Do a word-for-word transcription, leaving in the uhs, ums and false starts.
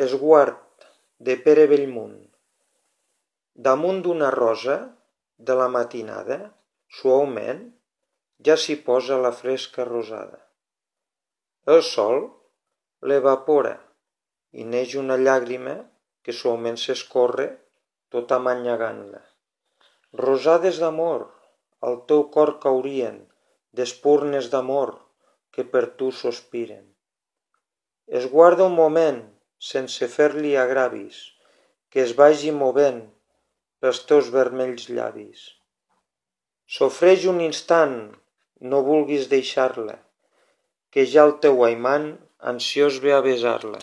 Esguard de Pere Bellmunt. Damunt d'una rosa de la matinada, suaument, ja s'hi posa la fresca rosada. El sol l'evapora i neix una llàgrima que suaument s'escorre tot amanyagant-la. Rosades d'amor, al teu cor caurien, d'espurnes d'amor que per tu sospiren. Esguarda un moment, sense fer-li agravis, que es vagi movent pels teus vermells llavis. Sofreix un instant, no vulguis deixar-la, que ja el teu aimant ansiós ve a besar-la.